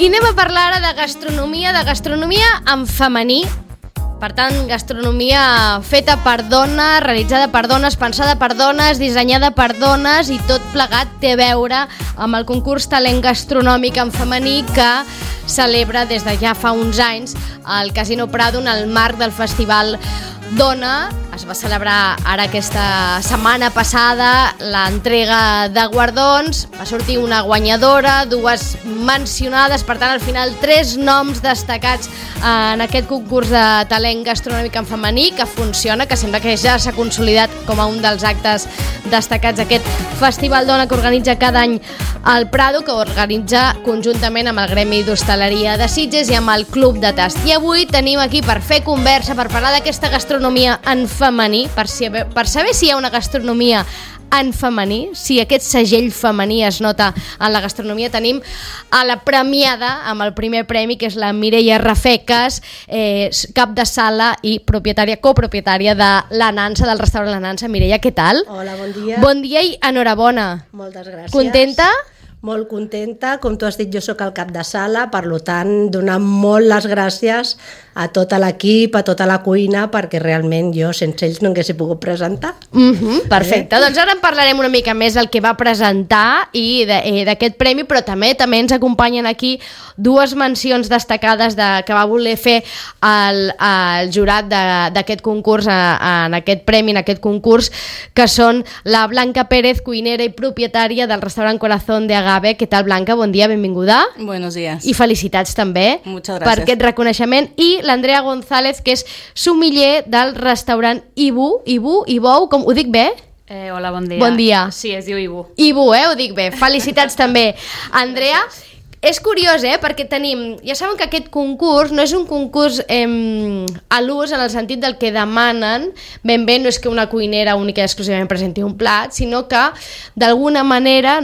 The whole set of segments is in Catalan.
I anem a parlar ara de gastronomia en femení. Per tant, gastronomia feta per dones, realitzada per dones, pensada per dones, dissenyada per dones, i tot plegat té a veure amb el concurs Talent Gastronòmic en femení que celebra des de ja fa uns anys al Casino Prado en el marc del Festival Dona. Es va celebrar ara aquesta setmana passada l'entrega de guardons, va sortir una guanyadora, dues mencionades, per tant al final 3 noms destacats en aquest concurs de talent gastronòmic en femení que funciona, que sembla que ja s'ha consolidat com a un dels actes destacats d'aquest Festival Dona que organitza cada any el Prado, que organitza conjuntament amb el Gremi d'Hostaleria de Sitges i amb el Club de Tast. I avui tenim aquí per fer conversa, per parlar d'aquesta gastronomia en femení, per saber si hi ha una gastronomia en femení, si aquest segell femení es nota en la gastronomia. Tenim a la premiada amb el primer premi, que és la Mireia Rafecas, cap de sala i copropietària de La Nansa, del restaurant La Nansa. Mireia, què tal? Hola, bon dia. Bon dia i enhorabona. Moltes gràcies. Contenta? Molt contenta. Com tu has dit, jo sóc el cap de sala, per tant, donar molt les gràcies a tot l'equip, a tota la cuina, perquè realment jo sense ells no hagués pogut presentar. Perfecte, doncs ara en parlarem una mica més del que va presentar i d'aquest premi, però també ens acompanyen aquí dues mencions destacades que va voler fer el jurat d'aquest concurs, en aquest premi, en aquest concurs, que són la Blanca Pérez, cuinera i propietària del restaurant Corazón de Agave. Què tal, Blanca? Bon dia, benvinguda. Buenos días. I felicitats també per aquest reconeixement. I l'Andrea González, que és sommelier del restaurant Ibou, com ho dic bé? Hola, bon dia. Bon dia. Sí, es diu Ibou. Ibou, ho dic bé. Felicitats també. Andrea, és curiós, perquè tenim... Ja saben que aquest concurs no és un concurs a l'ús en el sentit del que demanen. Ben bé, no és que una cuinera única i exclusivament presenti un plat, sinó que d'alguna manera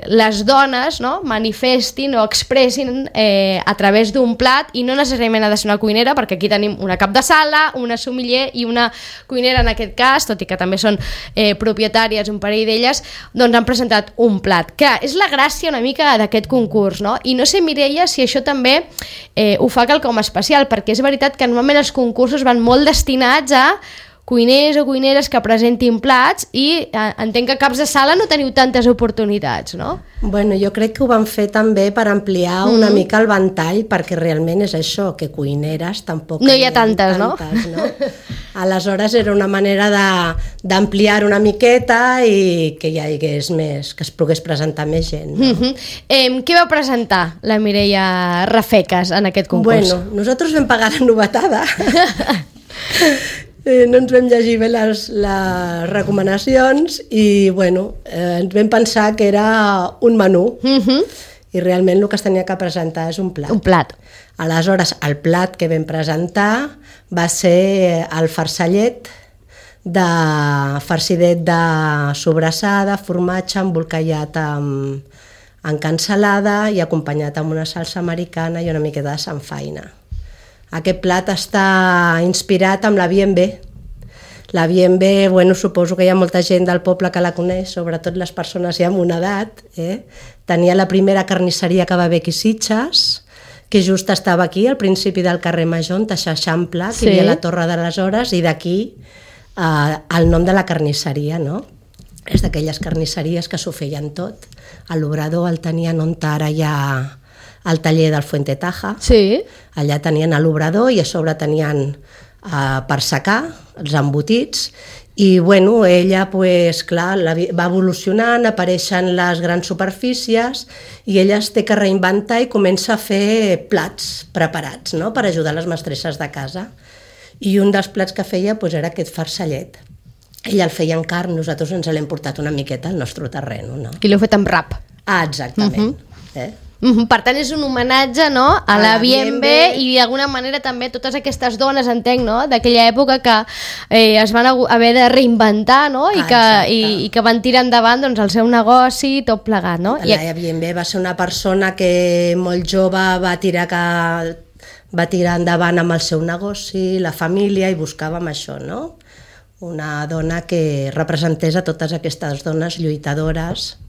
les dones manifestin o expressin a través d'un plat, i no necessàriament ha de ser una cuinera, perquè aquí tenim una cap de sala, una sommelier i una cuinera en aquest cas, tot i que també són propietàries, un parell d'elles, doncs han presentat un plat, que és la gràcia una mica d'aquest concurs, no? I no sé, Mireia, si això també ho fa quelcom especial, perquè és veritat que normalment els concursos van molt destinats a cuiners o cuineres que presentin plats, i entenc que caps de sala no teniu tantes oportunitats, no? Bueno, jo crec que ho van fer també per ampliar una mica el ventall, perquè realment és això, que cuineres tampoc no hi ha tantes, no? Aleshores era una manera d'ampliar una miqueta i que hi hagués més, que es pogués presentar més gent. No? Què va presentar la Mireia Rafecas en aquest concurs? Bueno, nosaltres vam pagar la novetada. No ens vam llegir bé les recomanacions i ens vam pensar que era un menú, i realment el que es tenia que presentar és un plat. Un plat. Aleshores, el plat que vam presentar va ser el farcellet, farcidet de sobrassada, formatge embolcallat en cansalada i acompanyat amb una salsa americana i una miqueta de samfaina. Aquest plat està inspirat amb la B&B. La B&B, suposo que hi ha molta gent del poble que la coneix, sobretot les persones ja amb una edat. Tenia la primera carnisseria que va haver aquí a Sitges, que just estava aquí, al principi del carrer Major, on s'eixampla, que hi havia la Torre de les Hores, i d'aquí el nom de la carnisseria, no? És d'aquelles carnisseries que s'ho feien tot. A l'Obrador el tenien on ara hi ha al taller del Fuente Taja. Sí. Allà tenien l'obrador i a sobre tenien per secar els embotits, i ella clar, va evolucionant, apareixen les grans superfícies i ella es té que reinventar i comença a fer plats preparats, no?, per ajudar les mestresses de casa, i un dels plats que feia era aquest farcellet. Ella el feia en carn, nosaltres ens l'hem portat una miqueta al nostre terreny, no? I l'heu fet amb rap. Exactament. Per tant, és un homenatge, no?, a la B&B, i d'alguna manera també totes aquestes dones, entenc, no?, d'aquella època que es van haver de reinventar, no?, i que van tirar endavant el seu negoci, tot plegat, no? La B&B va ser una persona que molt jove va tirar endavant amb el seu negoci, la família, i buscàvem això, no? Una dona que representés a totes aquestes dones lluitadores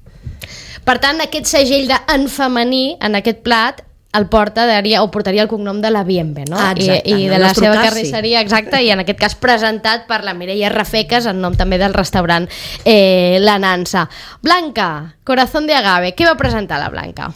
Per tant, aquest segell de en femení, en aquest plat, el portaria el cognom de la Bienve, no? Exacte, I de en el la nostre seva cas, carnisseria, exacte, i en aquest cas presentat per la Mireia Rafecas, en nom també del restaurant La Nansa. Blanca, Corazón de Agave, què va presentar la Blanca?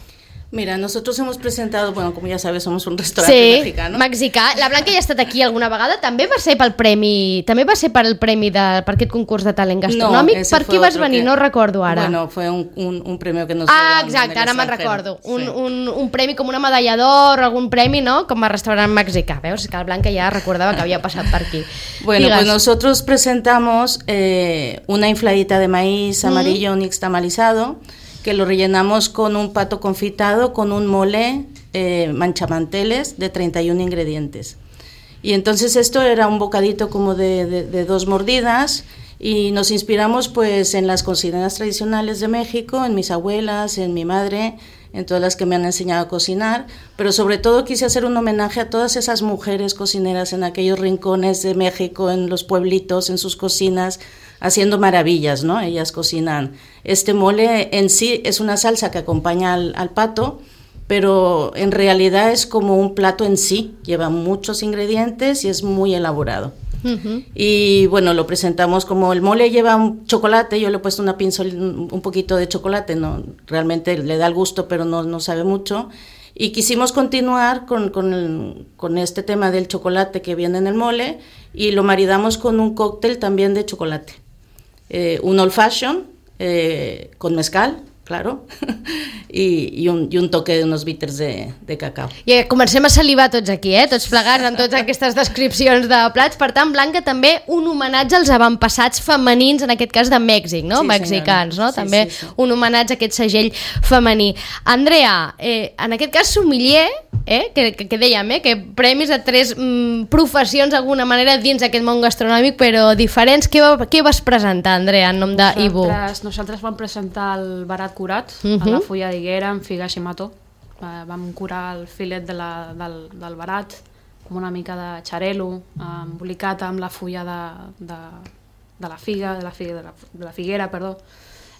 Mira, nosotros hemos presentado, bueno, como ya sabes, somos un restaurante mexicano. Mexicà. La Blanca ja ha estat aquí alguna vegada, també va ser pel premi, per aquest concurs de talent gastronòmic. No, per qui vas venir? No recordo ara. Bueno, fue un premio que nos dieron exacte, en el ara me'n extranjero. recordo. Un premi com una medalla d'or o algun premi, no? Com a restaurant mexicà. Veus? Que la Blanca ja recordava que havia passat per aquí. Bueno, Digues. pues nosotros presentamos una infladita de maíz amarillo nixtamalizado, que lo rellenamos con un pato confitado, con un mole manchamanteles de 31 ingredientes. Y entonces esto era un bocadito como de 2 mordidas, y nos inspiramos pues en las cocineras tradicionales de México, en mis abuelas, en mi madre, en todas las que me han enseñado a cocinar, pero sobre todo quise hacer un homenaje a todas esas mujeres cocineras en aquellos rincones de México, en los pueblitos, en sus cocinas, haciendo maravillas, ¿no? Ellas cocinan. Este mole en sí es una salsa que acompaña al pato, pero en realidad es como un plato en sí, lleva muchos ingredientes y es muy elaborado. Y bueno, lo presentamos como el mole lleva un chocolate, yo le he puesto un poquito de chocolate, no, realmente le da el gusto, pero no sabe mucho. Y quisimos continuar con este tema del chocolate que viene en el mole, y lo maridamos con un cóctel también de chocolate. Un old fashion con mezcal, claro, i un toque d'uns bitters de cacau. I comencem a salivar tots aquí, tots plegats amb totes aquestes descripcions de plats. Per tant, Blanca, també un homenatge als avantpassats femenins, en aquest cas de Mèxic, no? Sí, Mexicans, no? Sí, També sí. un homenatge a aquest segell femení. Andrea, en aquest cas sommelier, que dèiem, que premis a 3 professions d'alguna manera dins d'aquest món gastronòmic, però diferents. Què vas presentar, Andrea, en nom d'Ibu? Nosaltres vam presentar el barat curat, a la fulla d'higuera amb figues i mató. Vam curar el filet del barat amb una mica de xarelo, embolicat amb la fulla de la figuera, perdó.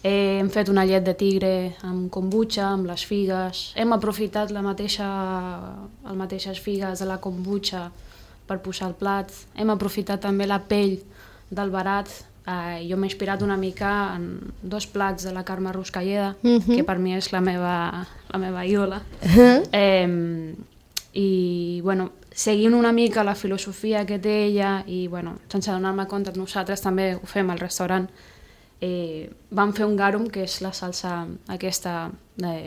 Hem fet una llet de tigre amb kombucha, amb les figues. Hem aprofitat les mateixes figues de la kombucha per posar al plat. Hem aprofitat també la pell del barat. Jo m'he inspirat una mica en 2 plats de la Carme Ruscalleda, que per mi és la meva ídola. I, bueno, seguint una mica la filosofia que té ella, i, bueno, sense donar-me compte, nosaltres també ho fem al restaurant, vam fer un garum, que és la salsa aquesta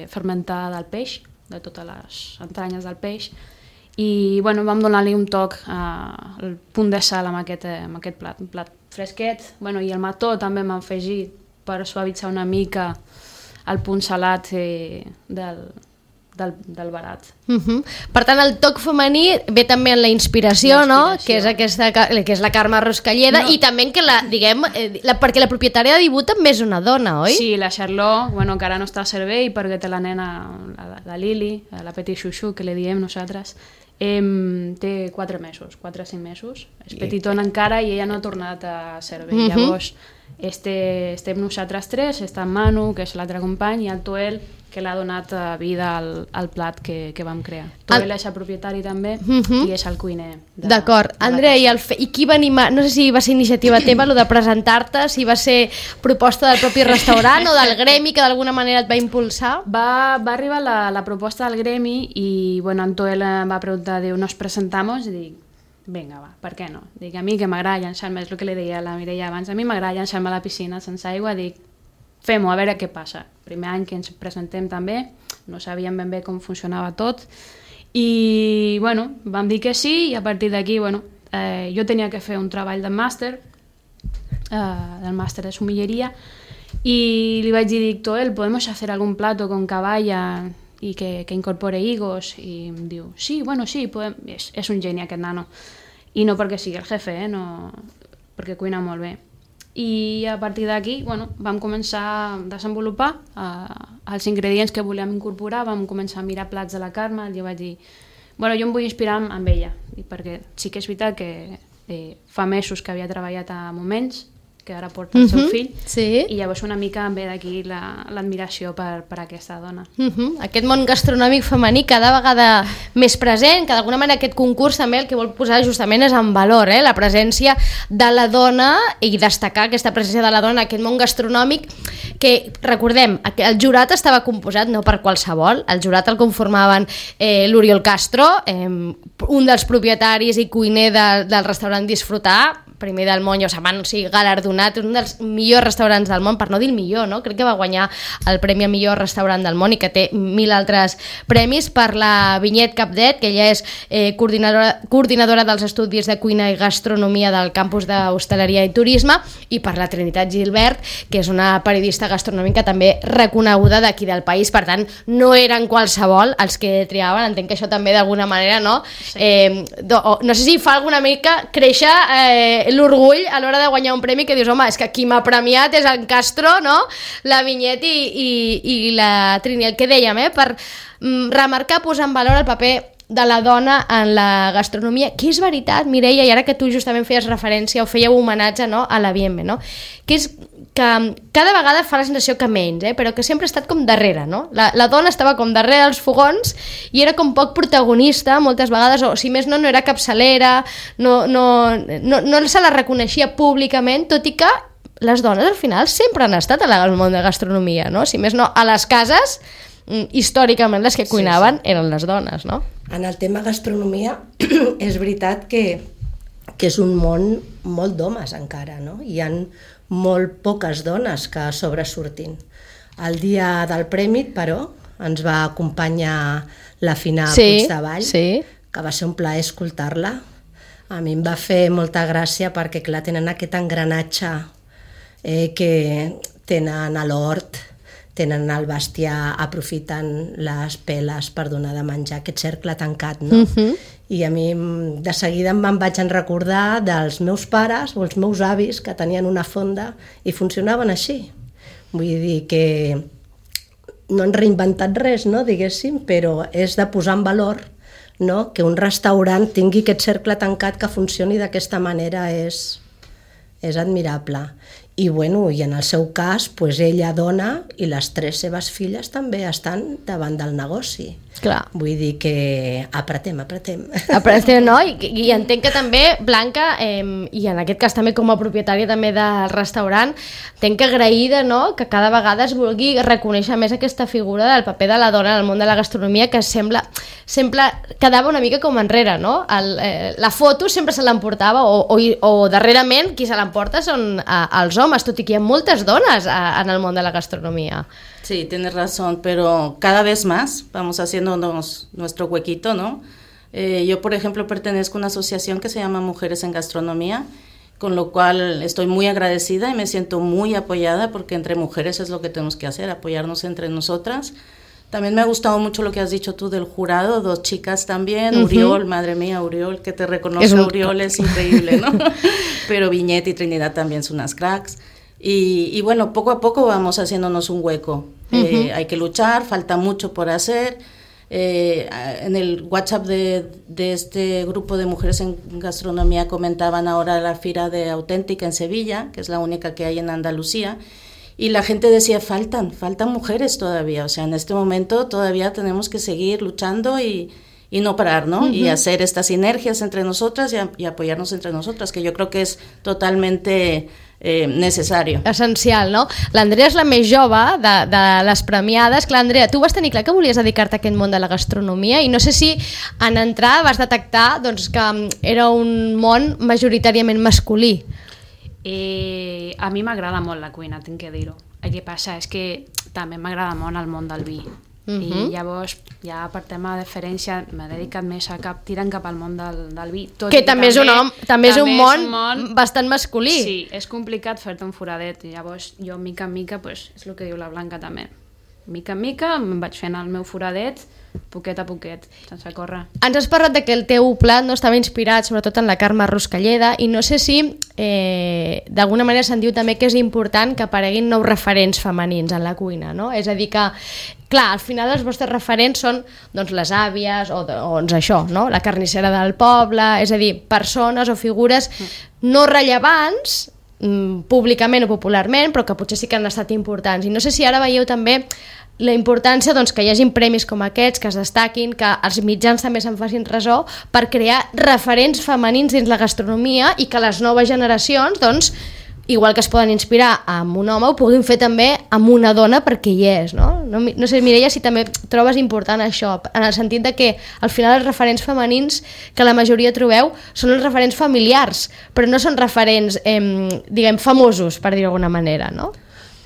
fermentada del peix, de totes les entranyes del peix, i, bueno, vam donar-li un toc, el punt de sal amb aquest plat, un plat fresquet, bueno, i el mató també m'ha afegit per suavitzar una mica el punt salat del barat. Per tant, el toc femení ve també en la inspiració, no? Que és la Carme Ruscalleda, i també que perquè la propietària de Ibu també és una dona, oi? Sí, la Charlotte, bueno, que ara no està a servei perquè té la nena, la Lili, la petit xuxu, que li diem nosaltres. Té 4 mesos, 4 o 5 mesos, és petitona encara i ella no ha tornat a servei. Llavors estem nosaltres 3, està en Manu, que és l'altre company, i el Toel, que l'ha donat vida al plat que vam crear. Toel és el propietari també, i és el cuiner. D'acord. Andrea, i qui va animar? No sé si va ser iniciativa teva, el de presentar-te, si va ser proposta del propi restaurant o del gremi que d'alguna manera et va impulsar? Va arribar la proposta del gremi i, bueno, en Toel em va preguntar, diu, nos presentamos? I dic, vinga, va, per què no? Dic, a mi que m'agrada llançar-me, és el que li deia a la Mireia abans, a mi m'agrada llançar-me a la piscina sense aigua, dic, fem-ho, a veure què passa. Primer any que ens presentem també, no sabíem ben bé com funcionava tot, i, bueno, vam dir que sí, i a partir d'aquí, bueno, jo tenia que fer un treball del màster de sommelleria, y li vaig dir, dic, Toel, ¿podemos hacer algún plato con caballa y que incorpore higos? I em diu, sí, bueno, sí, podem. És un geni aquest nano, i no perquè sigui el jefe, no, perquè cuina molt bé. I a partir d'aquí, bueno, vam començar a desenvolupar els ingredients que volíem incorporar, vam començar a mirar plats de la Carme, i jo vaig dir, bueno, jo em vull inspirar amb ella, perquè sí que és veritat que fa mesos que havia treballat a Moments, que ara porta el seu fill, sí. i llavors una mica em ve d'aquí l'admiració per aquesta dona. Aquest món gastronòmic femení cada vegada més present, que d'alguna manera aquest concurs també el que vol posar justament és en valor, la presència de la dona i destacar aquesta presència de la dona en aquest món gastronòmic que, recordem, el jurat estava composat no per qualsevol, el jurat el conformaven l'Oriol Castro, un dels propietaris i cuiner del restaurant Disfrutar, primer del món, galardonat, un dels millors restaurants del món, per no dir el millor, no? Crec que va guanyar el premi a millor restaurant del món i que té 1000 altres premis, per la Vinyet Capdet, que ella és coordinadora dels estudis de cuina i gastronomia del campus d'Hostaleria i Turisme, i per la Trinitat Gilbert, que és una periodista gastronòmica també reconeguda d'aquí del país. Per tant, no eren qualsevol els que triaven, entenc que això també d'alguna manera, no? Sí. No sé si fa alguna mica créixer l'orgull a l'hora de guanyar un premi, que dius, home, és que qui m'ha premiat és en Castro, no? La Vinyet i la Trini, el que dèiem, per remarcar, posar en valor el paper de la dona en la gastronomia, que és veritat, Mireia, i ara que tu justament feies referència o fèieu homenatge, no, a la Bienve, no? Que és que cada vegada fa la sensació que menys, però que sempre ha estat com darrere, no? La dona estava com darrere dels fogons i era com poc protagonista moltes vegades, o si més no era capçalera, no se la reconeixia públicament, tot i que les dones al final sempre han estat al món de gastronomia, no? Si més no, a les cases, històricament les que cuinaven eren les dones, no? En el tema gastronomia és veritat que és un món molt d'homes encara, no? Hi ha molt poques dones que sobresurtin. El dia del premi, però, ens va acompanyar la Fina Puigdevall, que va ser un plaer escoltar-la. A mi em va fer molta gràcia perquè, clar, tenen aquest engranatge que tenen a l'hort, tenen el bestiar, aprofiten les peles per donar de menjar, aquest cercle tancat, no? I a mi de seguida me'n vaig recordar dels meus pares o els meus avis que tenien una fonda i funcionaven així. Vull dir que no han reinventat res, no, diguéssim, però és de posar en valor, no, que un restaurant tingui aquest cercle tancat que funcioni d'aquesta manera és admirable. I, bueno, i en el seu cas, pues, ella dona i les 3 seves filles també estan davant del negoci. Clar. Vull dir que apretem. Apretem, no? I entenc que també, Blanca, i en aquest cas també com a propietària també del restaurant, entenc que agraïda, no?, que cada vegada es vulgui reconèixer més aquesta figura del paper de la dona en el món de la gastronomia, que sembla quedava una mica com enrere, no? La foto sempre se l'emportava, o darrerament qui se l'emporta són els homes, tot i que hi ha moltes dones en el món de la gastronomía. Sí, tienes razón, pero cada vez más vamos haciéndonos nuestro huequito, ¿no? Yo, por ejemplo, pertenezco a una asociación que se llama Mujeres en Gastronomía, con lo cual estoy muy agradecida y me siento muy apoyada, porque entre mujeres es lo que tenemos que hacer, apoyarnos entre nosotras. También me ha gustado mucho lo que has dicho tú del jurado, 2 chicas también, Uriol, madre mía, Uriol, que te reconoce, Uriol es increíble, ¿no? Pero Vinyet y Trinidad también son unas cracks. Y bueno, poco a poco vamos haciéndonos un hueco. Hay que luchar, falta mucho por hacer. En el WhatsApp de este grupo de mujeres en gastronomía comentaban ahora la Fira de Auténtica en Sevilla, que es la única que hay en Andalucía, y la gente decía, faltan mujeres todavía, o sea, en este momento todavía tenemos que seguir luchando y no parar, ¿no? Y hacer estas sinergias entre nosotras y apoyarnos entre nosotras, que yo creo que es totalmente necessari. Essencial, no? L'Andrea és la més jove de les premiades. Clar, Andrea, tu vas tenir clar que volies dedicar-te a aquest món de la gastronomia i no sé si en entrar vas detectar doncs, que era un món majoritàriament masculí. A mi m'agrada molt la cuina, tinc que dir-ho. El que passa és que també m'agrada molt el món del vi. I llavors, ja per tema de deferència, m'he dedicat més a tirant cap al món del vi. Que també és un món bastant masculí. Sí, és complicat fer-te un foradet. I llavors, jo, mica en mica, és el que diu la Blanca també. Mica en mica em vaig fent el meu foradet, poquet a poquet, sense córrer. Ens has parlat que el teu plat no estava inspirat sobretot en la Carme Ruscalleda i no sé si d'alguna manera se'n diu també que és important que apareguin nous referents femenins en la cuina, no? És a dir que, clar, al final els vostres referents són doncs, les àvies o doncs això, no? La carnissera del poble, és a dir, persones o figures no rellevants públicament o popularment, però que potser sí que han estat importants. I no sé si ara veieu també la importància doncs, que hi hagin premis com aquests, que es destaquin, que els mitjans també se'n facin ressò per crear referents femenins dins la gastronomia i que les noves generacions, doncs, igual que es poden inspirar amb un home, ho puguin fer també amb una dona perquè hi és, no? No sé, Mireia, si també trobes important això, en el sentit de que al final els referents femenins que la majoria trobeu són els referents familiars, però no són referents, diguem, famosos, per dir-ho d'alguna manera, no?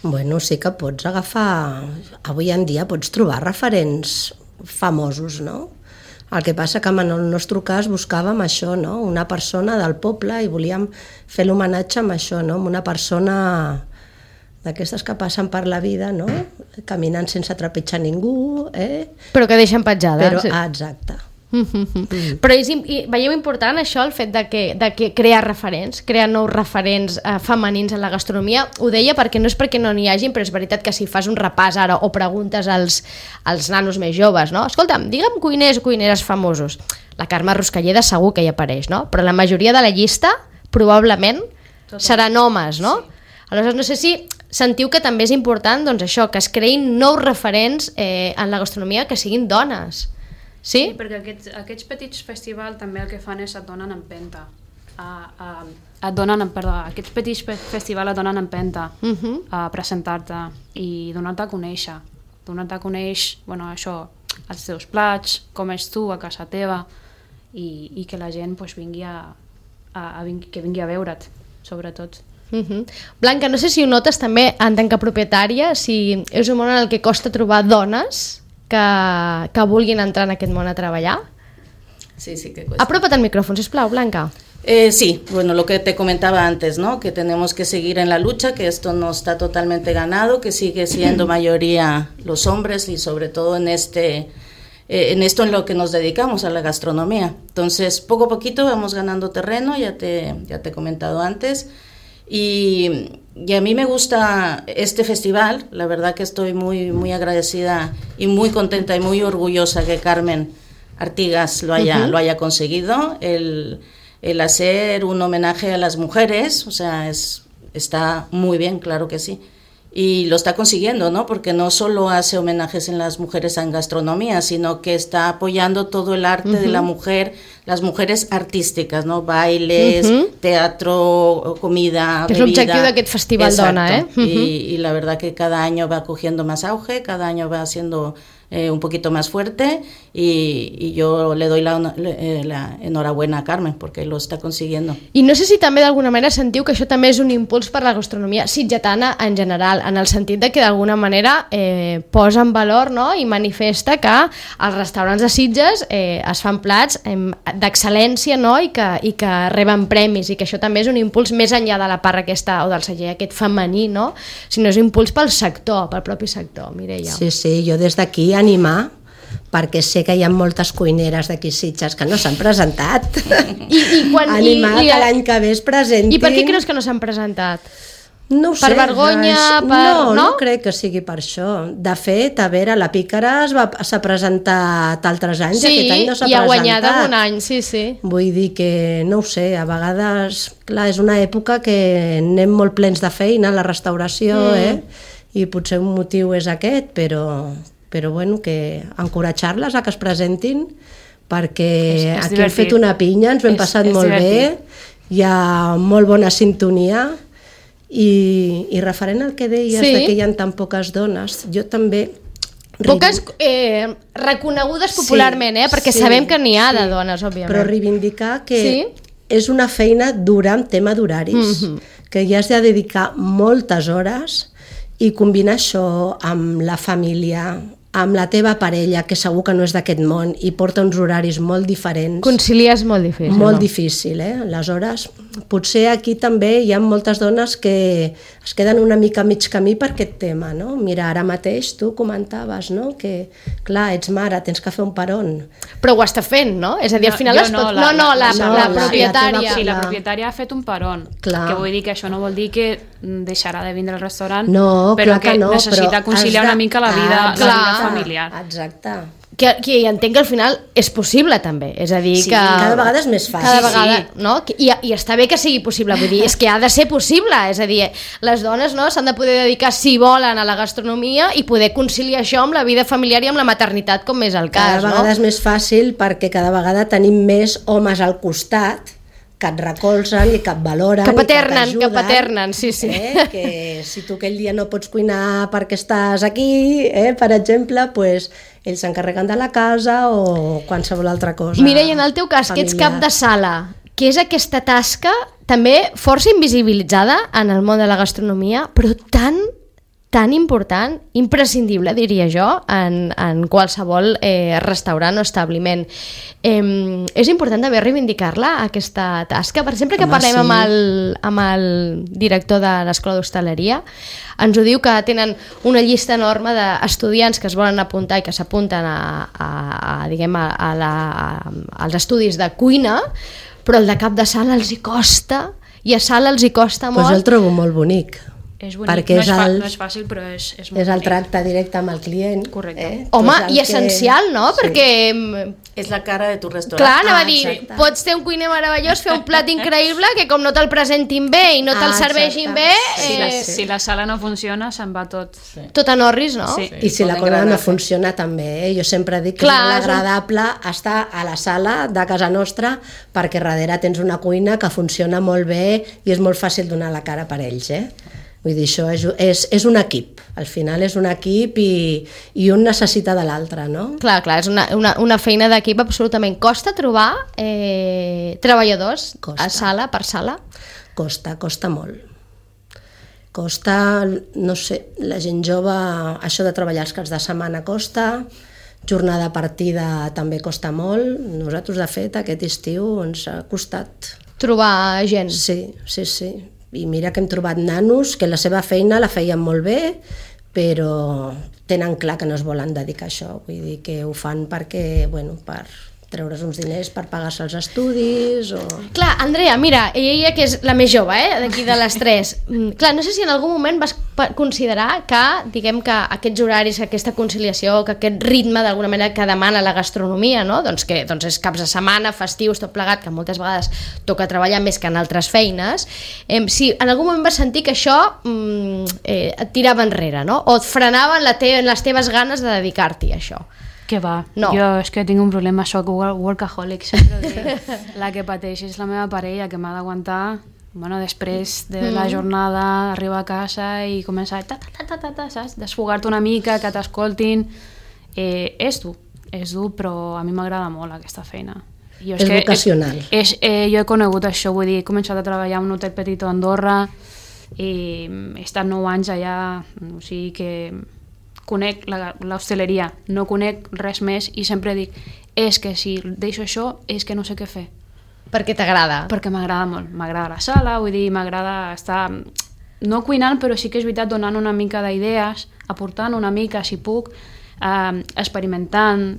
Bueno, sí que pots agafar... Avui en dia pots trobar referents famosos, no? El que passa que en el nostre cas buscàvem això, no? Una persona del poble i volíem fer l'homenatge amb això, no? Amb una persona d'aquestes que passen per la vida, no? Caminant sense trepitjar ningú, Però que deixen petjada. Però, exacte. Però veieu important això, el fet de que crear referents, crear nous referents femenins en la gastronomia? Ho deia perquè no és perquè no n'hi hagin, però és veritat que si fas un repàs ara o preguntes als nanos més joves, no? Escolta'm, digue'm cuiners o cuineres famosos. La Carme Ruscalleda segur que hi apareix, no? Però la majoria de la llista probablement seran homes, no? Aleshores no sé si sentiu que també és important, doncs això, que es creïn nous referents en la gastronomia que siguin dones. Sí? Sí, perquè aquests petits festivals també el que fan és et donen empenta. Aquests petits festivals et donen empenta a presentar-te i donar-te a conèixer. Donar-te a conèixer, bueno, això, els teus plats, com és tu a casa teva i que la gent pues, vingui a veure't, sobretot. Blanca, no sé si ho notes també en tant que propietària, si és un món en el que costa trobar dones que vulguin entrar en aquest món a treballar. Sí, sí que cuesta. Apropa't al micrófono, sisplau, Blanca. Sí, bueno, lo que te comentaba antes, ¿no? Que tenemos que seguir en la lucha, que esto no está totalmente ganado, que sigue siendo mayoría los hombres y sobre todo en esto en lo que nos dedicamos, a la gastronomía. Entonces, poco a poquito vamos ganando terreno, ya te he comentado antes. Y a mí me gusta este festival, la verdad que estoy muy, muy agradecida y muy contenta y muy orgullosa que Carmen Artigas lo haya conseguido, el hacer un homenaje a las mujeres, o sea, está muy bien, claro que sí. Y lo está consiguiendo, ¿no? Porque no solo hace homenajes en las mujeres en gastronomía, sino que está apoyando todo el arte de la mujer, las mujeres artísticas, ¿no? Bailes, teatro, comida, bebida. És l'objectiu d'aquest festival. Exacto. Dona, Y la verdad que cada año va cogiendo más auge, cada año va siendo un poquito más fuerte y yo le doy la enhorabuena a Carmen porque lo está consiguiendo. I no sé si també d'alguna manera sentiu que això també és un impuls per la gastronomia sitgetana en general, en el sentit de que d'alguna manera posa en valor, no? I manifesta que als restaurants de Sitges es fan plats d'excel·lència, no? I que reben premis, i que això també és un impuls més enllà de la part aquesta o del celler aquest femení, no? Sinó és un impuls pel sector, pel propi sector, Mireia. Sí, sí, jo des d'aquí animar, perquè sé que hi ha moltes cuineres d'aquí Sitges que no s'han presentat. Animar que l'any que ve es presentin. I per què creus que no s'han presentat? No ho sé. Per vergonya? No crec que sigui per això. De fet, a veure, la Pícara s'ha presentat altres anys, aquest any no s'ha presentat. Sí, i ha guanyat un any, sí. Vull dir que, no ho sé, a vegades, clar, és una època que anem molt plens de feina a la restauració, i potser un motiu és aquest, però bueno, que encoratjar-les a que es presentin, perquè aquí hem fet una pinya, ens ho hem passat molt bé, hi ha molt bona sintonia, i referent al que deies de que hi ha tan poques dones, jo també... Poques reconegudes popularment, perquè sabem que n'hi ha de dones, òbviament. Però reivindicar que és una feina dura en tema d'horaris, que hi has de dedicar moltes hores i combinar això amb la família, amb la teva parella, que segur que no és d'aquest món i porta uns horaris molt diferents. Conciliar és molt difícil. Molt difícil, Aleshores, potser aquí també hi ha moltes dones que es queden una mica a mig camí per aquest tema, no? Mira, ara mateix tu comentaves, no?, que, clar, ets mare, tens que fer un peron. Però ho està fent, no? És a dir, al final es pot... la propietària. Sí, la propietària ha fet un peron. Que vull dir que això no vol dir que deixarà de vindre al restaurant, però que necessita conciliar una mica la vida familiar. Exacte. Que entenc que al final és possible també, és a dir Sí, que... cada vegada és més fàcil. Cada vegada, no? I està bé que sigui possible, vull dir, és que ha de ser possible, és a dir, les dones, no, s'han de poder dedicar, si volen, a la gastronomia i poder conciliar això amb la vida familiar i amb la maternitat, com és el cas, Cada vegada és més fàcil perquè cada vegada tenim més homes al costat que et recolzen i que et valoren Que i paternen, que paternen, sí. Que si tu aquell dia no pots cuinar perquè estàs aquí, per exemple, pues, ells s'encarreguen de la casa o qualsevol altra cosa. Mira, i en el teu cas, que ets cap de sala, què és aquesta tasca també força invisibilitzada en el món de la gastronomia, però tan important, imprescindible, diria jo, en qualsevol restaurant o establiment. És important també reivindicar-la, aquesta tasca. Per exemple, que parlem amb el director de l'Escola d'Hostaleria, ens ho diu que tenen una llista enorme d'estudiants que es volen apuntar i que s'apunten als estudis de cuina, però el de cap de sala els hi costa, i a sala els hi costa molt. Pues jo el trobo molt bonic. És bonic, no és fàcil, però és molt bonic. És el tracte directe amb el client. Correcte. Home, i essencial, no? Sí. Perquè... És la cara de tu restaurant. Clar, anava a dir, exacte. pots ter un cuiner meravellós, fer un plat increïble, que com no te'l presentin bé i no te'l serveixin bé... Si la sala no funciona, se'n va tot. Tot en orris, no? Sí. I si la cosa no funciona també, Jo sempre dic que és molt agradable estar a la sala de casa nostra perquè darrere tens una cuina que funciona molt bé i és molt fàcil donar la cara per ells, Vull dir, això és un equip, al final és un equip i un necessita de l'altre, no? Clar, és una feina d'equip absolutament. Costa trobar treballadors a sala per sala? Costa molt. Costa, no sé, la gent jove, això de treballar els caps de setmana costa, jornada partida també costa molt. Nosaltres, de fet, aquest estiu ens ha costat. Trobar gent? Sí. I mira que hem trobat nanos que la seva feina la feien molt bé, però tenen clar que no es volen dedicar a això. Vull dir que ho fan perquè, per treure's uns diners per pagar-se els estudis o... Clar, Andrea, mira, ella que és la més jove, d'aquí de les tres. Clar, no sé si en algun moment vas considerar que, diguem que aquests horaris, aquesta conciliació, que aquest ritme d'alguna manera que demana la gastronomia, no? Doncs és caps de setmana, festius, tot plegat, que moltes vegades toca treballar més que en altres feines. Si en algun moment vas sentir que això et tirava enrere, no? O et frenaven les teves ganes de dedicar-t'hi a això. Que va, no. Jo és que tinc un problema, soc workaholic, sempre ho dic. La que pateix és la meva parella, que m'ha d'aguantar, després de la jornada, arribar a casa i començar saps? Desfogar-te una mica, que t'escoltin. És dur, però a mi m'agrada molt aquesta feina. És vocacional. Jo he conegut això, vull dir, he començat a treballar en un hotel petit a Andorra i he estat 9 anys allà, o sigui que... conec l'hostaleria, no conec res més i sempre dic, és que si deixo això és que no sé què fer. Perquè t'agrada? Perquè m'agrada molt, m'agrada la sala, vull dir, m'agrada estar, no cuinant, però sí que és veritat donant una mica d'idees, aportant una mica, si puc, experimentant,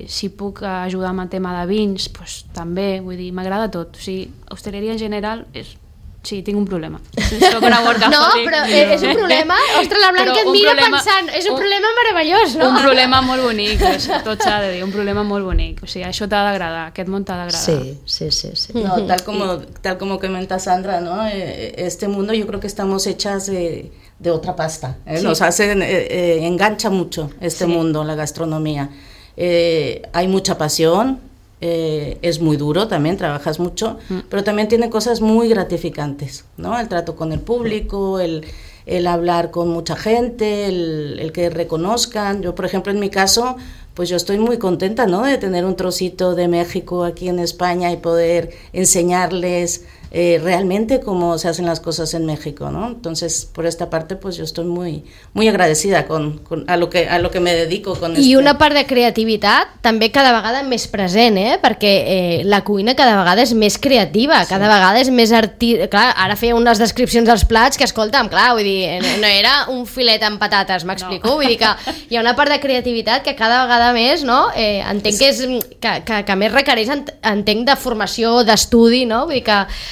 si puc ajudar amb el tema de vins, doncs també, vull dir, m'agrada tot. O sigui, hostaleria en general és... Sí, tinc un problema. Soc una workaholic. No, però és un problema... Ostres, la Blanca et mira pensant... És un problema meravellós, no? Un problema molt bonic, tot s'ha de dir, un problema molt bonic. O sigui, això t'ha d'agradar, aquest món t'ha d'agradar. Sí. No, tal como comenta Sandra, ¿no? Este mundo yo creo que estamos hechas de otra pasta. Sí. Nos engancha mucho este mundo, la gastronomía. Hay mucha pasión. Es muy duro también, trabajas mucho, pero también tiene cosas muy gratificantes, ¿no? El trato con el público, el hablar con mucha gente, el que reconozcan. Yo, por ejemplo, en mi caso, pues yo estoy muy contenta, ¿no? De tener un trocito de México aquí en España y poder enseñarles realmente cómo se hacen las cosas en México, ¿no? Entonces, por esta parte, pues yo estoy muy, muy agradecida a lo que me dedico con I una part de creativitat també cada vegada més present, perquè la cuina cada vegada és més creativa, cada vegada és més Clar, ara feia unes descripcions dels plats que, escolta'm, clar, vull dir, no era un filet amb patates, m'explico? Vull dir que hi ha una part de creativitat que cada vegada més, no? Entenc que més requereix, entenc, de formació, d'estudi, no? Vull dir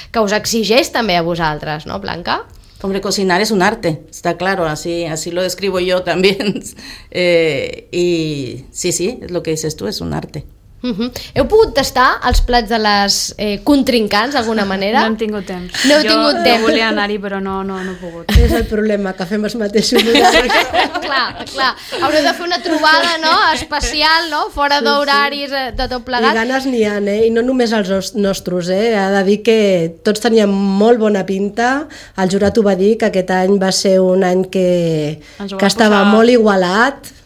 que us exigeix també a vosaltres, no, Blanca? Hombre, cocinar es un arte, está claro, así lo describo yo también. Y sí, es lo que dices tú, es un arte. Heu pogut tastar els plats de les contrincants d'alguna manera? No hem tingut temps. No heu tingut temps. Jo volia anar-hi però no he pogut. És el problema, que fem els mateixos horaris. clar, haureu de fer una trobada, no?, especial, no?, fora d'horaris, de tot plegat. I ganes n'hi ha, i no només els nostres, ha de dir que tots teníem molt bona pinta. El jurat ho va dir, que aquest any va ser un any que estava molt igualat.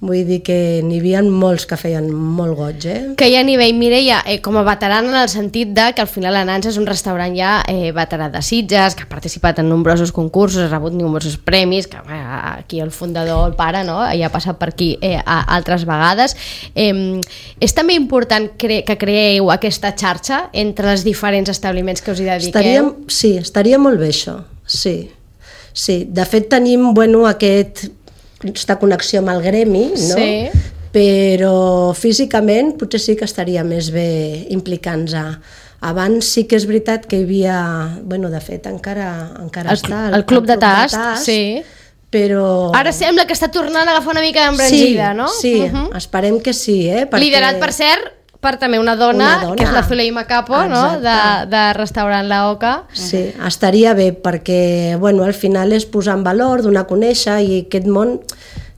Vull dir que n'hi havia molts que feien molt goig, Que hi ha nivell, Mireia, com a veterana en el sentit de que al final la Nansa és un restaurant ja veterà de Sitges, que ha participat en nombrosos concursos, ha rebut nombrosos premis, que aquí el fundador, el pare, no?, ja ha passat per aquí altres vegades. És també important que creeu aquesta xarxa entre els diferents establiments que us hi dediqueu? Sí, estaria molt bé això, sí. De fet tenim, aquesta connexió amb el gremi, no? Sí. Però físicament potser sí que estaria més bé implicant-nos. Abans sí que és veritat que hi havia, de fet encara està el Club de Tast, sí. Però... Ara sembla que està tornant a agafar una mica d'embranzida, no? Sí, esperem que sí, perquè... Liderat, per cert, per també una dona, que és la Zuleima Capo, no?, de restaurant La Oca. Sí, estaria bé, perquè al final és posar en valor, donar a conèixer, i aquest món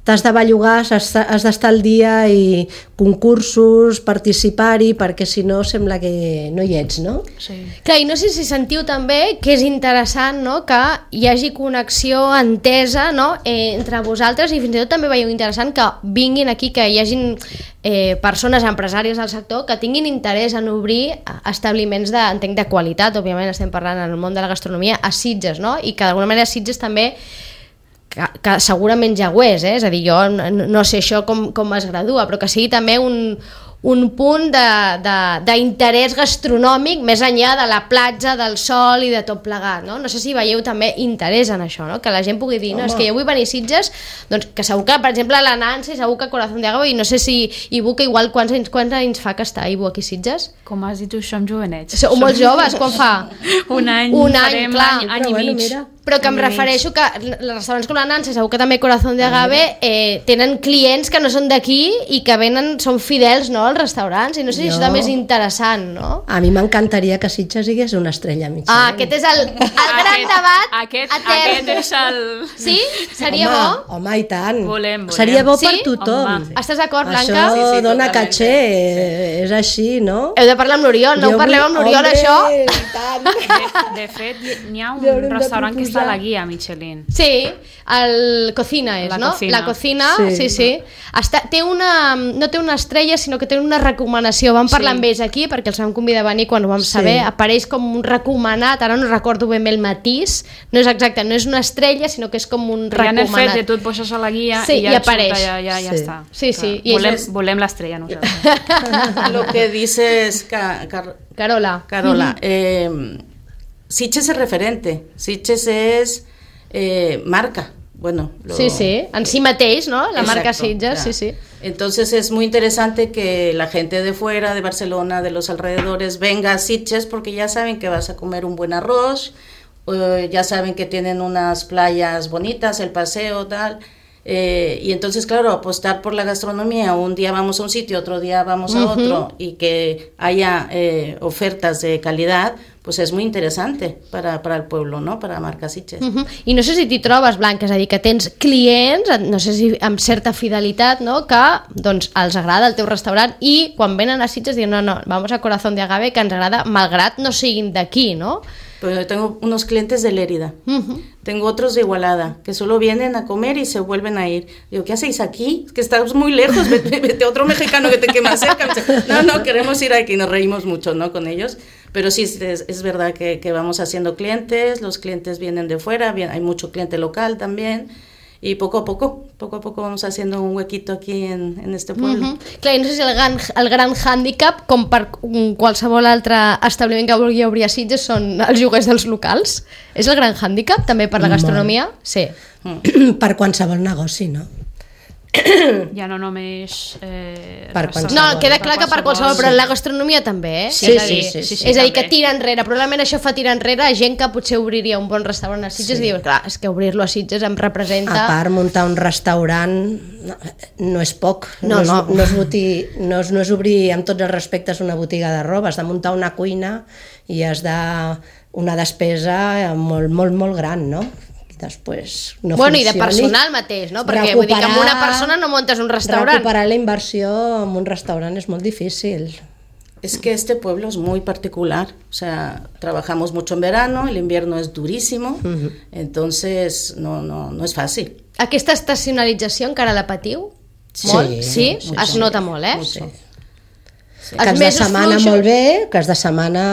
t'has de bellugar, has d'estar al dia, i concursos, participar-hi, perquè si no sembla que no hi ets, no? Sí. Clar, i no sé si sentiu també que és interessant, no?, que hi hagi connexió, entesa, no?, entre vosaltres, i fins i tot també veieu interessant que vinguin aquí, que hi hagin persones empresàries del sector que tinguin interès en obrir establiments entenc de qualitat, òbviament estem parlant en el món de la gastronomia, a Sitges, no?, i que d'alguna manera Sitges també que segurament ja ho és, és a dir, jo no sé això com es gradua, però que sigui també un punt d'interès gastronòmic més enllà de la platja, del sol i de tot plegat, no? No sé si veieu també interès en això, no? Que la gent pugui dir, no, és que jo vull venir a Sitges, doncs que segur que, per exemple, la Nancy, segur que Corazón de Agave, i no sé si Ibu, que igual quants anys fa que està Ibu aquí a Sitges? Com has dit tu, som jovenets. Sou molt joves, quan fa? Un any, farem any i mig. Mira. Però que em refereixo que els restaurants com la Nancy, segur que també Corazón de Agave, tenen clients que no són d'aquí i que venen, són fidels, no?, als restaurants, i no sé si això també és interessant, no? A mi m'encantaria que Sitges digués una estrella Michelin. Aquest és el gran debat Aquest és el... Sí? Seria bo? Home, i tant. Volem. Seria bo per tothom. Estàs d'acord, Blanca? Això dona caché, és així, no? Heu de parlar amb l'Oriol, no ho parleu amb l'Oriol, això? De fet, n'hi ha un restaurant que està a la guia Michelin. Sí, el Cocina és, no? La Cocina, sí. No té una estrella, sinó que té una recomanació. Vam parlar amb ells aquí, perquè els vam convidar a venir quan ho vam saber. Apareix com un recomanat, ara no recordo ben bé el matís, no és exacte, no és una estrella, sinó que és com un recomanat. Ja en el fet de tu et poses a la guia i ja apareix. Ja està. Sí. Volem l'estrella nosaltres. Lo que dices, Carola. Sitges es referente, Sitges es marca. Sí, en sí mateix, ¿no? La marca Sitges, sí. Entonces es muy interesante que la gente de fuera, de Barcelona, de los alrededores, venga a Sitges porque ya saben que vas a comer un buen arroz, ya saben que tienen unas playas bonitas, el paseo, tal. Y entonces, claro, apostar por la gastronomía, un día vamos a un sitio, otro día vamos a otro, y que haya ofertas de calidad, pues és molt interessant per al pueblo, no? Per a marca Sitges. I no sé si t'hi trobes, Blanca, és a dir, que tens clients, no sé si amb certa fidelitat, no?, que doncs els agrada el teu restaurant i quan venen a Sitges diuen no, vamos a Corazón de Agave, que ens agrada, malgrat no siguin d'aquí, no? Pero yo tengo unos clientes de Lérida, tengo otros de Igualada, que solo vienen a comer y se vuelven a ir. Digo, ¿qué hacéis aquí? Es que estamos muy lejos, vete a otro mexicano que te quede más cerca. No, queremos ir aquí, nos reímos mucho, ¿no?, con ellos. Pero sí, es verdad que vamos haciendo clientes, los clientes vienen de fuera, hay mucho cliente local también, y poco a poco vamos haciendo un huequito aquí en este pueblo. Clar, no sé si el gran hàndicap, com per qualsevol altre establiment que vulgui obrir a Sitges, són els lloguers dels locals. És el gran hàndicap, també, per la gastronomia? Sí. Per qualsevol negoci, no? Ja no només... Per qualsevol. No, queda clar que per qualsevol, però la gastronomia també, eh? Sí, És a dir, sí, és a dir, que també. tira enrere. Probablement això fa tirar enrere a gent que potser obriria un bon restaurant a Sitges i diu, clar, és que obrir-lo a Sitges em representa... A part, muntar un restaurant no és poc. No. No és obrir amb tots els respectes una botiga de roba, has de muntar una cuina i has de... una despesa molt, molt, molt gran, no? I després no Bueno, i funcioni. de personal mateix, no? Perquè vull dir que amb una persona no muntes un restaurant. Recuperar la inversió en un restaurant és molt difícil. Es que este pueblo es muy particular, o sea, trabajamos mucho en verano, el invierno es durísimo, entonces no es fàcil. Aquesta estacionalització encara la patiu? Sí, Molt? Sí? mucho. Es nota molt, eh? Mucho. Que els de setmana molt bé, que els de setmana...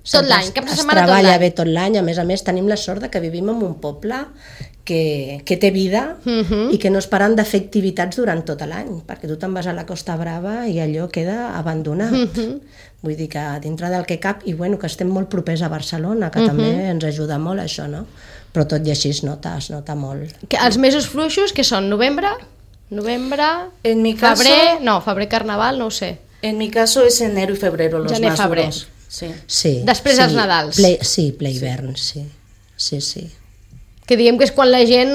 Tot l'any, cap de setmana es tot treballa l'any. bé tot l'any. A més, tenim la sort de que vivim en un poble que té vida i que no es paren de fer activitats durant tot l'any, perquè tu te'n vas a la Costa Brava i allò queda abandonat. Vull dir que dintre del que cap, i bueno, que estem molt propers a Barcelona, que també ens ajuda molt això, no? Però tot i així es nota molt. Els mesos fluixos, que són? Novembre? En mi caso, Febrer? No, febrer, carnaval, no ho sé. En mi caso es enero y febrero los Gener, más febrer. duros. Sí. Sí, Després sí, dels Nadals. Ple hivern, sí. Sí. Que diguem que és quan la gent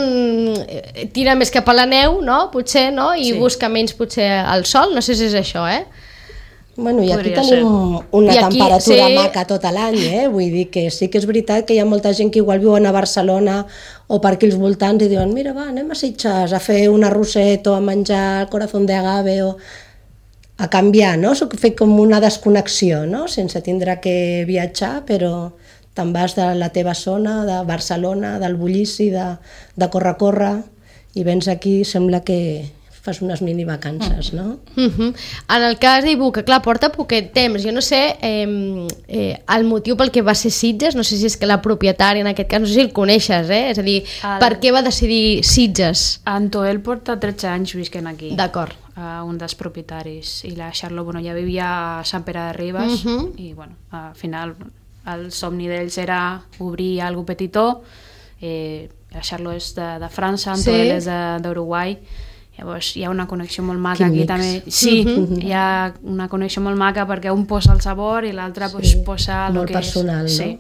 tira més cap a la neu, no? Potser, no? I busca menys potser el sol, no sé si és això, eh? Bueno, i aquí Podria tenim una I aquí, temperatura sí. maca tot l'any, Vull dir que sí que és veritat que hi ha molta gent que igual viuen a Barcelona o per aquí als voltants i diuen, mira, va, anem a Sitges a fer un arrosset o a menjar el corazón de agave o a canviar, no? Fer com una desconnexió, no? Sense tindre que viatjar, però te'n vas de la teva zona, de Barcelona, del bullici, de córrer, i vens aquí, sembla que fas unes mini vacances, no? En el cas d'Ibu, que clar, porta poquet temps, jo no sé el motiu pel que va ser Sitges, no sé si és que la propietària en aquest cas, no sé si el coneixes, és a dir, per què va decidir Sitges? Antoel porta 13 anys visquent aquí. D'acord. Un dels propietaris, i la Charlotte, bueno, ja vivia a Sant Pere de Ribes, i bueno, al final el somni d'ells era obrir algo petitó. La Charlotte és de França, Antoel és d'Uruguai. Llavors hi ha una connexió molt maca aquí també. Sí, hi ha una connexió molt maca perquè un posa el sabor i l'altre posa el molt que personal, és. no? Sí.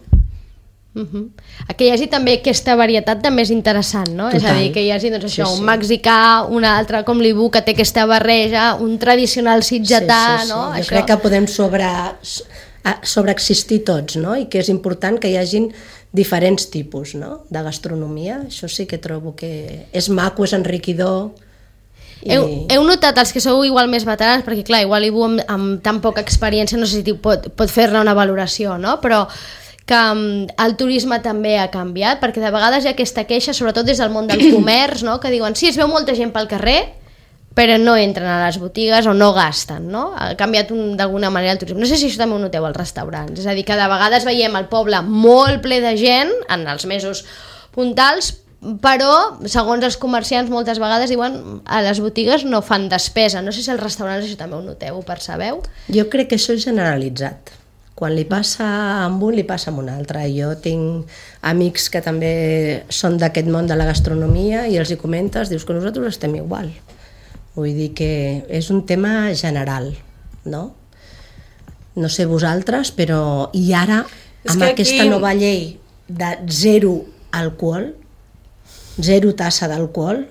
Que hi hagi també aquesta varietat també és interessant, no? Total. És a dir, que hi hagi doncs, això, Sí. un mexicà, un altre com l'Ibu, que té aquesta barreja, un tradicional sitgetà, no? Jo crec que podem sobreexistir tots, no? I que és important que hi hagin diferents tipus, no? De gastronomia. Això sí que trobo que és maco, és enriquidor. Heu notat els que sou igual més veterans, perquè clar, igual Ibu amb tan poca experiència no sé si pot fer-ne una valoració, no? Però que el turisme també ha canviat, perquè de vegades hi ha aquesta queixa, sobretot des del món del comerç, no? Que diuen, sí, es veu molta gent pel carrer, però no entren a les botigues o no gasten, no? Ha canviat d'alguna manera el turisme. No sé si això també ho noteu als restaurants, és a dir, que de vegades veiem el poble molt ple de gent en els mesos puntals, però, segons els comerciants, moltes vegades diuen a les botigues no fan despesa. No sé si als restaurants això també ho noteu, ho percebeu? Jo crec que això és generalitzat. Quan li passa amb un, li passa amb un altre. Jo tinc amics que també són d'aquest món de la gastronomia i els hi comentes, dius que nosaltres estem igual. Vull dir que és un tema general, no? No sé vosaltres, però... I ara, amb aquesta nova llei de zero alcohol, zero tassa d'alcohol,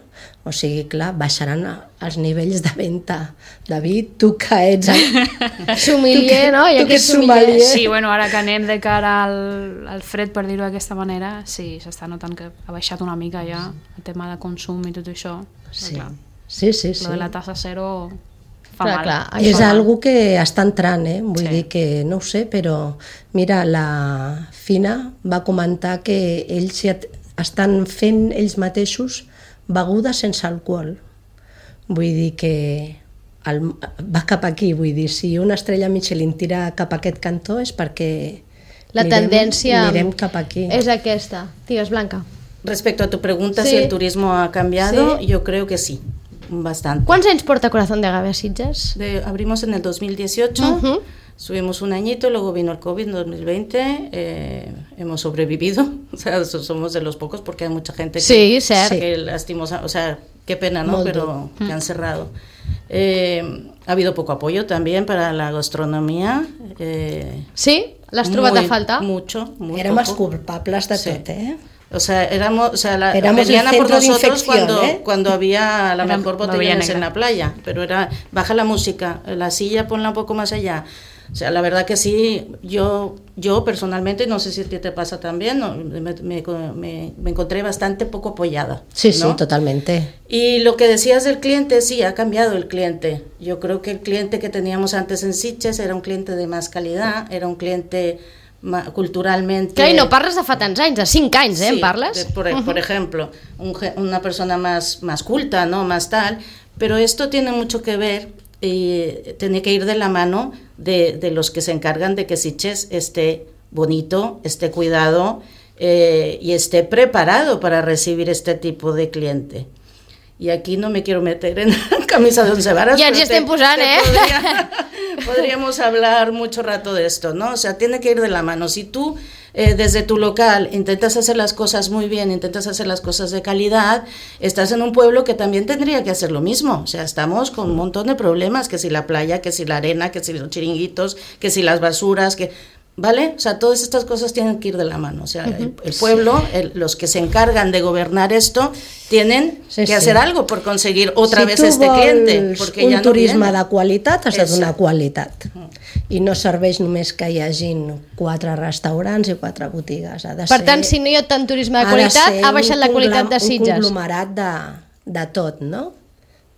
o sigui, clar, baixaran els nivells de venda. David, tu que ets... Sommelier, no? Tu que ets sommelier. Sí, bueno, ara que anem de cara al fred, per dir-ho d'aquesta manera, sí, s'està notant que ha baixat una mica ja el tema de consum i tot això. Sí, Clar, sí. lo de la tassa zero fa Clar, mal. clar, És això. algo que està entrant, vull Sí. dir que no ho sé, però mira, la Fina va comentar que ells estan fent ells mateixos begudes sense alcohol. Vull dir que va cap aquí, vull dir, si una estrella Michelin tira cap a aquest cantó és perquè La tendència mirem cap aquí. és aquesta. Digues, Blanca. Respecto a tu pregunta, Sí. si el turismo ha cambiado, Sí. yo creo que sí, bastante. Quants anys porta Corazón de Agave a Sitges? Abrimos en el 2018, Ujú. subimos un añito, luego vino el COVID en 2020, hemos sobrevivido, o sea, somos de los pocos porque hay mucha gente Sí, cert. que lastimosa, o sea, Qué pena, ¿no? Pero que han cerrado. Ha habido poco apoyo también para la gastronomía. Sí? L'has trobat a falta? Mucho, muy Érem els poco. culpables de tot, O sea, éramos el venían a por centro de nosotros infección, cuando había a lo mejor la botellones negra. en la playa, pero era, baja la música, la silla ponla un poco más allá. O sea, la verdad que sí, yo personalmente, no sé si a ti te pasa también, ¿no? me encontré bastante poco apoyada. Sí, ¿no? sí, totalmente. Y lo que decías del cliente, sí, ha cambiado el cliente. Yo creo que el cliente que teníamos antes en Sitges era un cliente de más calidad, era un cliente culturalmente... Clar, i no parles de fa tants anys, de 5 anys, sí, en parles? Por ejemplo, una persona más culta, ¿no? Más tal, pero esto tiene mucho que ver y tiene que ir de la mano de los que se encargan de que Sitges esté bonito, esté cuidado y esté preparado para recibir este tipo de cliente. Y aquí no me quiero meter en camisa de 11 varas. Ja ens hi estem posant, Podríamos hablar mucho rato de esto, ¿no? O sea, tiene que ir de la mano. Si tú desde tu local intentas hacer las cosas muy bien, intentas hacer las cosas de calidad, estás en un pueblo que también tendría que hacer lo mismo. O sea, estamos con un montón de problemas, que si la playa, que si la arena, que si los chiringuitos, que si las basuras, que... ¿Vale? O sea, todas estas cosas tienen que ir de la mano. O sea, el pueblo, los que se encargan de gobernar esto, tienen que hacer algo por conseguir otra vez este cliente. Porque un ja turisme no de qualitat, has de donar Exacte. qualitat. I no serveix només que hi hagin 4 restaurants i 4 botigues. Ha de Per ser, tant, si no hi ha tant turisme de qualitat, ha baixat la qualitat de un Sitges. conglomerat de tot, no?